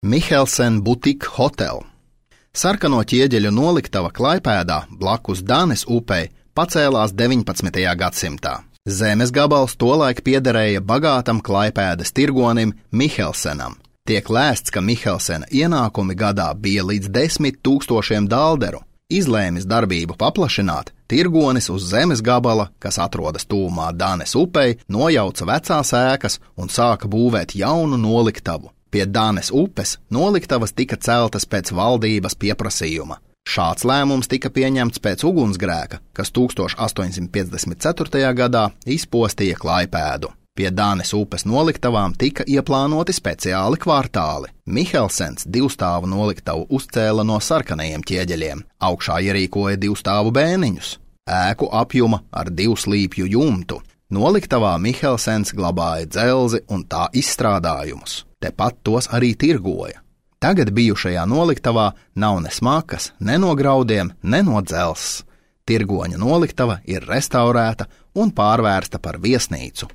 Mihelsen Boutique Hotel. Sarkano ķieģeļu noliktava Klaipēdā blakus Danes upei pacēlās 19. gadsimtā. Zemes gabals tolaik piederēja bagātam Klaipēdas tirgonim Mihelsenam. Tiek lēsts, ka Mihelsena ienākumi gadā bija līdz 10 000 dalderu. Izlēmis darbību paplašināt, tirgonis uz zemes gabala, kas atrodas tuvumā Danes upei, nojauca vecās ēkas un sāka būvēt jaunu noliktavu. Pie Danes upes noliktavas tika celtas pēc valdības pieprasījuma. Šāds lēmums tika pieņemts pēc ugunsgrēka, kas 1854. gadā izpostīja Klaipēdu. Pie Danes upes noliktavām tika ieplānoti speciāli kvartāli. Mihelsens divstāvu noliktavu uzcēla no sarkanajiem ķieģeļiem, augšā ierīkoja divstāvu bēniņus, ēku apjuma ar 2 slīpju jumtu. Noliktavā Mihelsens glabāja dzelzi un tā izstrādājumus. Tepat tos arī tirgoja. Tagad bijušajā noliktavā nav ne smakas, ne no graudiem, ne no dzelzs. Tirgoņa noliktava ir restaurēta un pārvērsta par viesnīcu.